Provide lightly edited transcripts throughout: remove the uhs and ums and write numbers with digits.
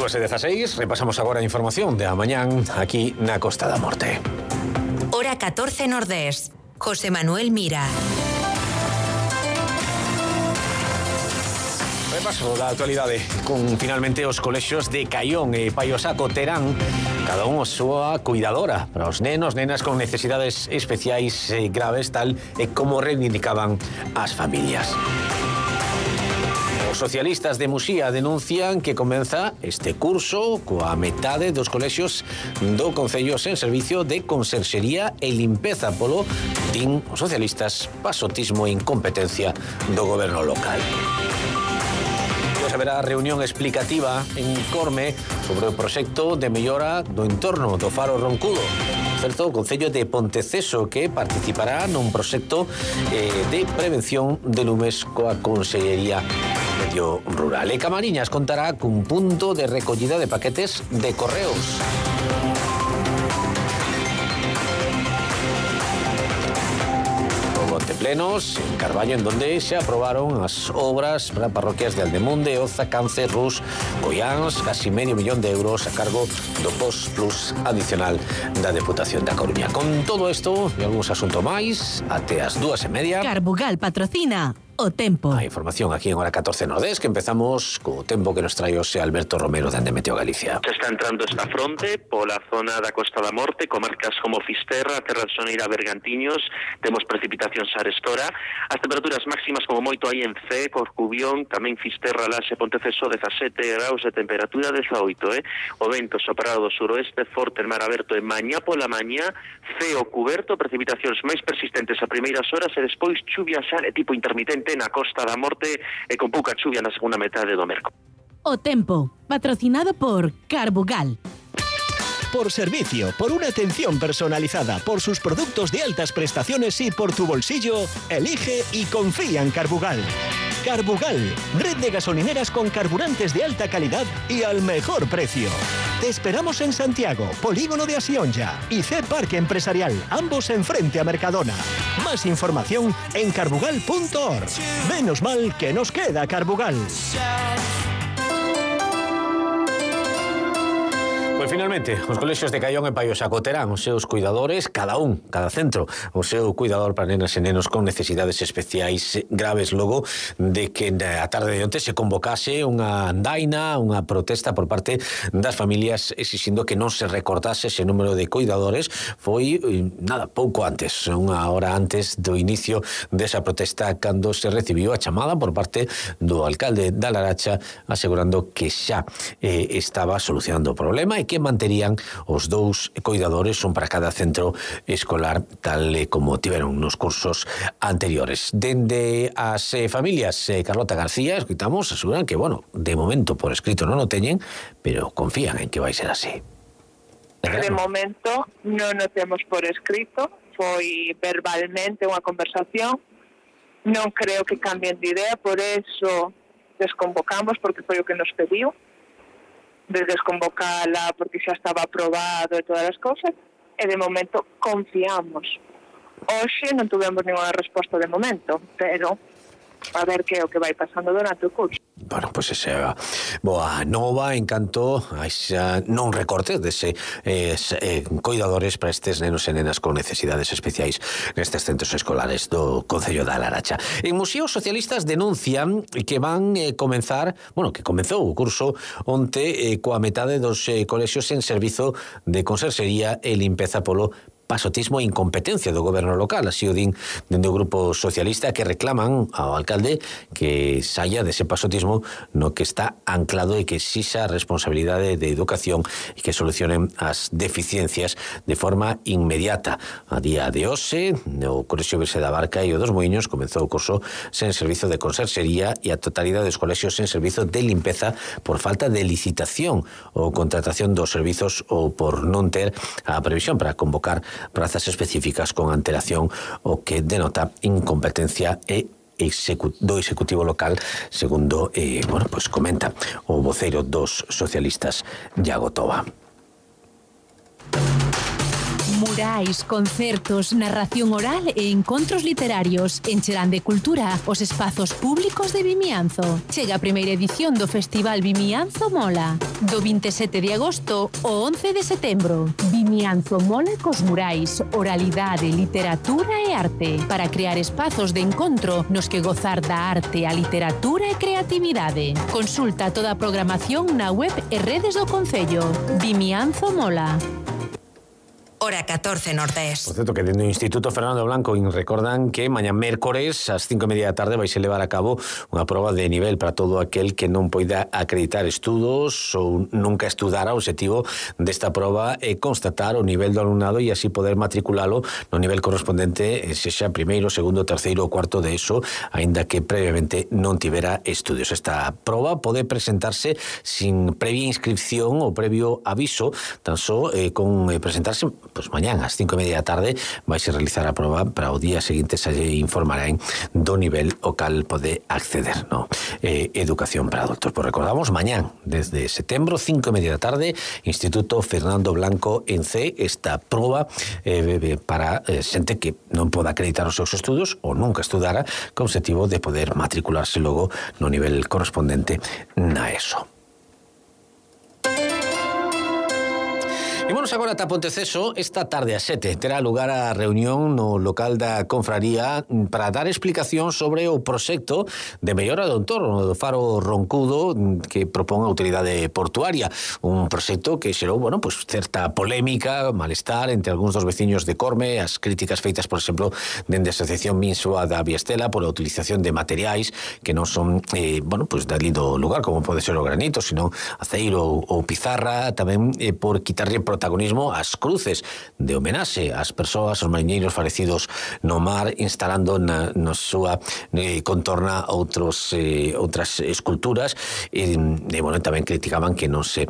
2:16, repasamos agora a información de mañán aquí na Costa da Morte. Hora 14 Nordés. José Manuel Mira. Repaso da actualidade con finalmente os colexios de Caión e Paio Saco terán cada un a súa cuidadora para os nenos, nenas con necesidades especiais graves, tal e como reivindicaban as familias. Os socialistas de Muxía denuncian que comeza este curso coa metade dos colexios do Concello sen servicio de conserxería e limpeza polo, din os socialistas, pasotismo e incompetencia do goberno local. Haberá reunión explicativa en Corme sobre o proxecto de mellora do entorno do Faro Roncudo. Certo, o Concello de Ponteceso que participará nun proxecto de prevención de lumes coa Consellería Medio Rural. E Camariñas contará cun punto de recollida de paquetes de correos. Plenos en Carballo, en donde se aprobaron as obras para parroquias de Aldemunde, Oza, Cance, Rus, Goiáns, casi €500.000 a cargo do Post Plus adicional da Deputación da Coruña. Con todo isto e algúns asuntos máis, até as 2:30. Carbugal patrocina o tempo. A información aquí en Hora 14 Nordés, que empezamos co tempo que nos trae hoxe Alberto Romero de Meteo Galicia. Se está entrando esta fronte pola zona da Costa da Morte, comarcas como Fisterra, Terra de Soneira, Bergantiños, temos precipitacións arestora, as temperaturas máximas como moito aí en C, Corcubión, tamén Fisterra, Laxe, Ponteceso, 17 graus de temperatura, 18, o vento soprado do suroeste, forte en mar aberto e mañá pola mañá, ceo cuberto, precipitacións máis persistentes a primeiras horas e despois chuvia xa de tipo intermitente na Costa da Morte e con pouca chuvia na segunda metade do merco. O tempo, patrocinado por Carbugal. Por servicio, por una atención personalizada, por sus productos de altas prestaciones y por tu bolsillo, elige y confía en Carbugal. Carbugal, red de gasolineras con carburantes de alta calidad y al mejor precio. Te esperamos en Santiago, Polígono de Asionja y C Parque Empresarial, ambos enfrente a Mercadona. Más información en carbugal.org. Menos mal que nos queda Carbugal. Pois finalmente, os colexios de Caión e Paio Saco terán os seus cuidadores, cada centro, o seu cuidador para nenas e nenos con necesidades especiais graves, logo de que a tarde de onte se convocase unha andaina, unha protesta por parte das familias exixindo que non se recortase ese número de cuidadores. Foi, pouco antes, unha hora antes do inicio desa protesta, cando se recibiu a chamada por parte do alcalde da Laracha asegurando que xa estaba solucionando o problema e que manterían os 2 cuidadores, un para cada centro escolar, tal como tiveron nos cursos anteriores. Dende as familias, Carlota García, escuitamos, aseguran que, de momento por escrito non o teñen, pero confían en que vai ser así. De momento non o temos por escrito, foi verbalmente unha conversación, non creo que cambien de idea, por eso desconvocamos, porque foi o que nos pediu, de desconvocala porque xa estaba aprobado e todas as cousas, e de momento confiamos. Hoxe non tuvemos ninguna resposta de momento, pero a ver que é o que vai pasando durante o curso. Pois esa boa nova en canto a esa non recorte dese cuidadores para estes nenos e nenas con necesidades especiais nestes centros escolares do Concello da Laracha. En Muxía, os socialistas denuncian que van comenzar, que comezou o curso onte coa metade dos colexios en servizo de conserxería e limpeza polo pasotismo e incompetencia do goberno local. Así o din dende o grupo socialista, que reclaman ao alcalde que saia dese pasotismo no que está anclado e que exixa responsabilidade de educación e que solucionen as deficiencias de forma inmediata. A día de hoxe, o Colexio Virxe da Barca e o dos Moiños comezou o curso sen servizo de conserxería e a totalidade dos colexios sen servizo de limpeza por falta de licitación ou contratación dos servizos ou por non ter a previsión para convocar prazas específicas con antelación, o que denota incompetencia e do Executivo local, segundo comenta o voceiro dos socialistas, Iago Toba. Murais, concertos, narración oral e encontros literarios encherán de cultura os espazos públicos de Vimianzo. Chega a primeira edición do Festival Vimianzo Mola, do 27 de agosto ao 11 de setembro. Vimianzo Mola cos murais, oralidade, literatura e arte, para crear espazos de encontro nos que gozar da arte, a literatura e creatividade. Consulta toda a programación na web e redes do Concello. Vimianzo Mola. Hora 14 Nordés. Por certo, que dentro do Instituto Fernando Blanco recordan que mañá mércores ás 5:30 da tarde vai se levar a cabo unha proba de nivel para todo aquel que non poida acreditar estudos ou nunca estudara. O objetivo desta proba é constatar o nivel do alumnado e así poder matriculalo no nivel correspondente, sexa primeiro, segundo, terceiro ou cuarto de ESO, aínda que previamente non tivera estudios. Esta proba pode presentarse sin previa inscripción ou previo aviso, tan só con presentarse pues mañán ás 5:30 da tarde vai se realizar a proba para o día seguinte se informarán do nivel ao cal pode acceder, no? Educación para adultos. Pues recordamos, mañán, desde setembro, 5:30 da tarde, Instituto Fernando Blanco en C, esta proba para xente que non poda acreditar os seus estudos ou nunca estudara, con objetivo de poder matricularse logo no nivel correspondente na ESO. E vamos agora ata Ponteceso. Esta tarde a 7 terá lugar a reunión no local da Confraría para dar explicación sobre o proxecto de mellora do entorno do Faro Roncudo que propón a Autoridade Portuaria. Un proxecto que xerou, pues certa polémica, malestar entre algúns dos veciños de Corme, as críticas feitas, por exemplo, dende a Asociación Minsoa da Viestela por a utilización de materiais que non son, pues dali do lugar, como pode ser o granito, sino aceiro ou pizarra, tamén por quitarlle protagonismo ás cruces de homenaxe ás persoas, aos mariñeiros falecidos no mar, instalando na súa contorna outras esculturas e tamén criticaban que non se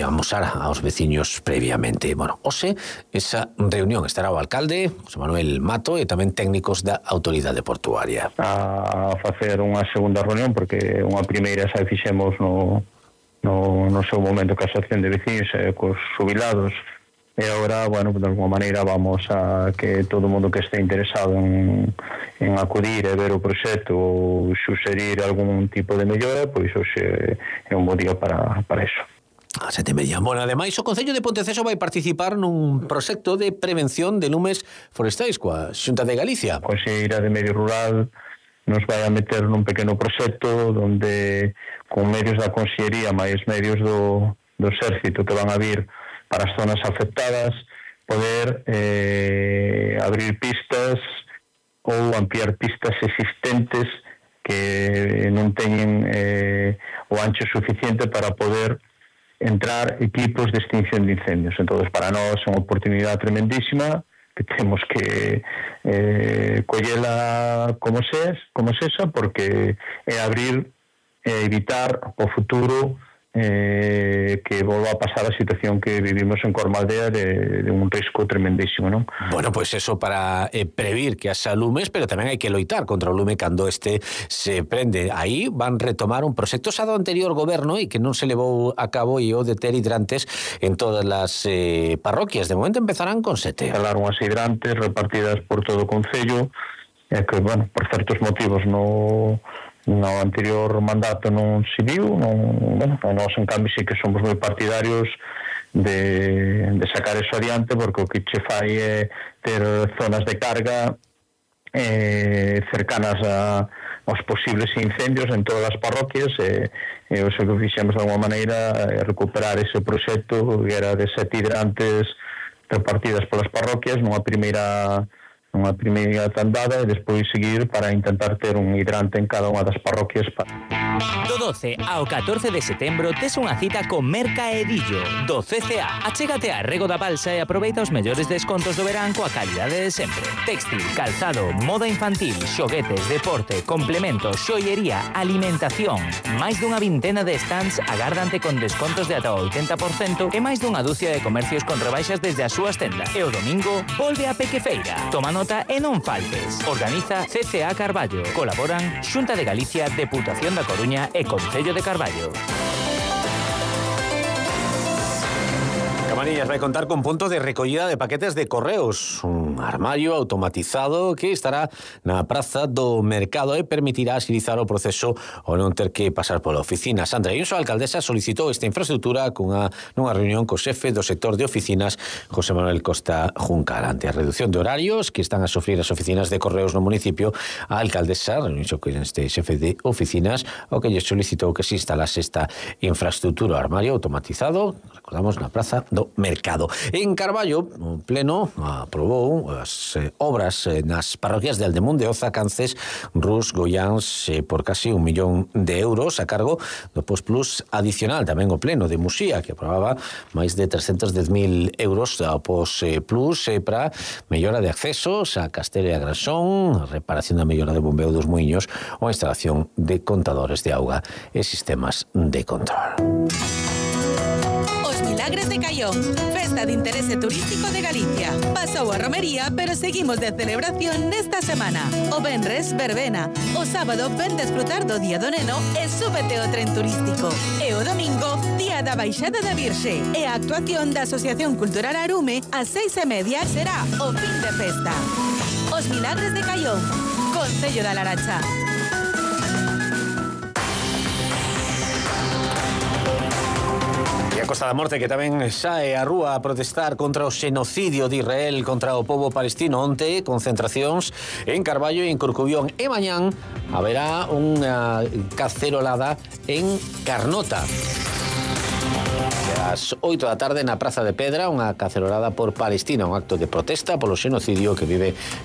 amosara aos veciños previamente. Hoxe esa reunión estará o alcalde José Manuel Mato e tamén técnicos da Autoridade Portuaria. A facer unha segunda reunión porque unha primeira xa fixemos no seu momento ca asociación de veciños e cos xubilados e agora, de alguma maneira vamos a que todo o mundo que este interesado en acudir e ver o proxecto ou suxerir algún tipo de mellora, pois hoxe é un bo día para eso. A 7:30. Ademais, o Concello de Ponteceso vai participar nun proxecto de prevención de lumes forestais coa Xunta de Galicia. A Conselleira de Medio Rural nos vai a meter nun pequeno proxecto onde con medios da Consellería máis medios do Exército que van a vir para as zonas afectadas poder abrir pistas ou ampliar pistas existentes que non teñen o ancho suficiente para poder entrar equipos de extinción de incendios. Entón, para nós é unha oportunidade tremendísima que temos que collela como sexa, porque é abrir e evitar o futuro que volva a pasar a situación que vivimos en Cormaldea de un risco tremendísimo, non? Pues eso para previr que haxa lumes, pero tamén hai que loitar contra o lume cando este se prende. Aí van retomar un proxecto xa do anterior goberno e que non se levou a cabo e o de ter hidrantes en todas as parroquias. De momento empezarán con 7. Instalaron as hidrantes repartidas por todo o Concello e que, por certos motivos no anterior mandato non se viu, nós en cambio sí que somos moi partidarios de sacar eso adiante, porque o que che fai é ter zonas de carga cercanas aos posibles incendios en todas as parroquias e o que fixemos de alguma maneira é recuperar ese proxecto que era de 7 hidrantes repartidas polas parroquias nunha primeira tandada e despois seguir para intentar ter un hidrante en cada unha das parroquias. Do 12 ao 14 de setembro tes unha cita con Merca Edillo do CCA. Achégate a Rego da Balsa e aproveita os mellores descontos do verán coa calidade de sempre. Textil, calzado, moda infantil, xoguetes, deporte, complementos, xoiería, alimentación. Máis dunha vintena de stands agárdante con descontos de ata 80% e máis dunha dúcia de comercios con rebaixas desde as súas tendas. E o domingo volve a Pequefeira. Toma nota e non faltes. Organiza CCA Carballo. Colaboran Xunta de Galicia, Deputación da Coruña e Concello de Carballo. Camariñas vai contar con punto de recollida de paquetes de correos, un armario automatizado que estará na praza do mercado e permitirá agilizar o proceso ao non ter que pasar pola oficina. Sandra Ayuso, a alcaldesa, solicitou esta infraestructura nunha reunión co xefe do sector de oficinas, José Manuel Costa Juncal. Ante a reducción de horarios que están a sofrir as oficinas de correos no municipio, a alcaldesa reuniu con este xefe de oficinas o que lle solicitou que se instalase esta infraestructura, o armario automatizado, recordamos, na praza do mercado. En Carballo, o Pleno aprobou as obras nas parroquias de Aldemunde, Oza, Cances, Rus, Goiáns, por casi 1 millón de euros a cargo do Postplus adicional. Tamén o Pleno de Muxía, que aprobaba máis de 310.000 euros ao Postplus para mellora de accesos a Castelo e a Grasón, reparación da mellora de bombeo dos muiños ou a instalación de contadores de auga e sistemas de control. Milagres de Caión, festa de interese turístico de Galicia. Pasou a romería, pero seguimos de celebración nesta semana. O venres, verbena. O sábado, ven desfrutar do Día do Neno e súbete ao tren turístico. E o domingo, Día da Baixada da Virxe. E a actuación da Asociación Cultural Arume ás 6:30 será o fin de festa. Os Milagres de Caión, Concello da Laracha. A Costa da Morte, que tamén sae á rúa a protestar contra o xenocidio de Israel contra o pobo palestino. Onte, concentracións en Carballo e en Corcubión. E mañán haberá unha cacerolada en Carnota. Ás 8 da tarde na Praza de Pedra, unha cacerolada por Palestina, un acto de protesta polo xenocidio que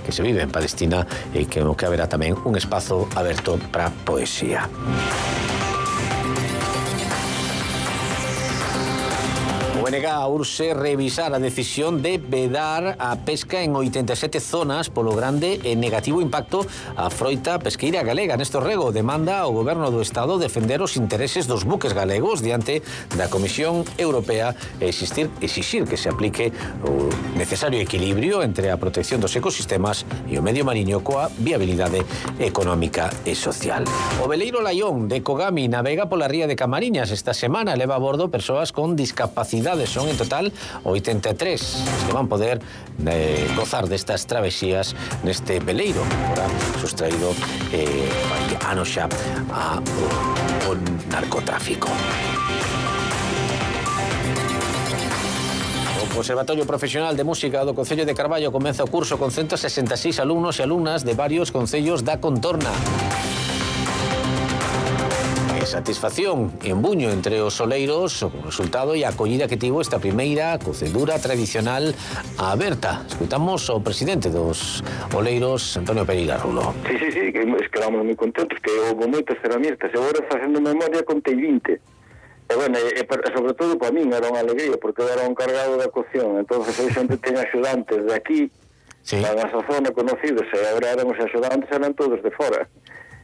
se vive en Palestina e que haberá tamén un espazo aberto para poesía. O BNG urxe revisar a decisión de vedar a pesca en 87 zonas polo grande e negativo impacto á froita pesqueira galega. Néstor Rego demanda ao Goberno do Estado defender os intereses dos buques galegos diante da Comisión Europea e exixir que se aplique o necesario equilibrio entre a protección dos ecosistemas e o medio mariño coa viabilidade económica e social. O veleiro Laión de Kogami navega pola ría de Camariñas. Esta semana leva a bordo persoas con discapacidade. Son en total 83 que van poder gozar destas travesías neste veleiro que fora sustraído anos xa ao narcotráfico. O Conservatorio Profesional de Música do Concello de Carballo comeza o curso con 166 alumnos e alumnas de varios concellos da contorna. Satisfacción en Buño entre os oleiros o resultado e a acollida que tivo esta primeira cocedura tradicional aberta. Escutamos ao presidente dos oleiros, Antonio Pereira Rulo. Sí, que quedamos moi contentos, que houve moitas ferramentas. E agora, facendo memoria, contei 20. E, bueno, sobre todo para min era unha alegría, porque eu era un cargado da cocción. Entón, eu sempre teño axudantes de aquí, da nosa zona conocidos, e agora éramos axudantes, eran todos de fora.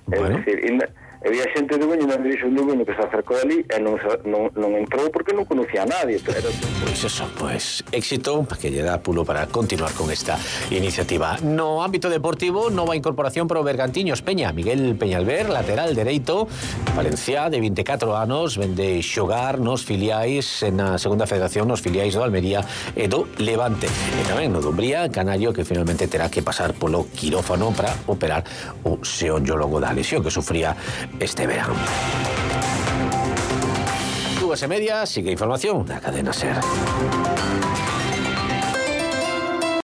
Bueno. É dicir, había xente de Buño, non dixo de Buño que se acercou ali e non entrou porque non conocía a nadie. Pero... Pois éxito que lle dá pulo para continuar con esta iniciativa. No ámbito deportivo, nova incorporación para o Bergantiños Peña. Miguel Peñalver, lateral dereito, Valencia, de 24 anos, vende xogar nos filiais na segunda federación, nos filiais do Almería e do Levante. E tamén no Dumbría, canario que finalmente terá que pasar polo quirófano para operar o xeonllogo da lesión que sufría este verano. 2:30, sigue información da cadena SER.